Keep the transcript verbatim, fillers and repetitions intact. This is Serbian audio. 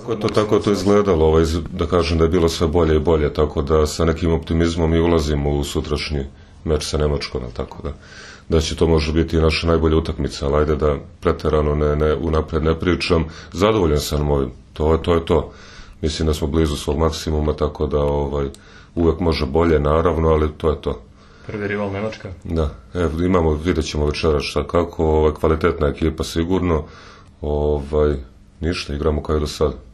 Tako je to, tako je to izgledalo, ovaj, da kažem da je bilo sve bolje i bolje, tako da sa nekim optimizmom i ulazimo u sutrašnji meč sa Nemačkom, tako da da će to može biti i naša najbolja utakmica, ali ajde da preterano ne, ne, unapred ne pričam. Zadovoljan sam ovim, to je to. Je to. Mislim da smo blizu svog maksimuma, tako da ovaj, uvek može bolje, naravno, ali to je to. Prvi rival Nemačka? Da, evo, imamo, vidjet ćemo večera šta kako, ovaj, kvalitetna ekipa sigurno, ovaj, ništa, igramo kao i do sada.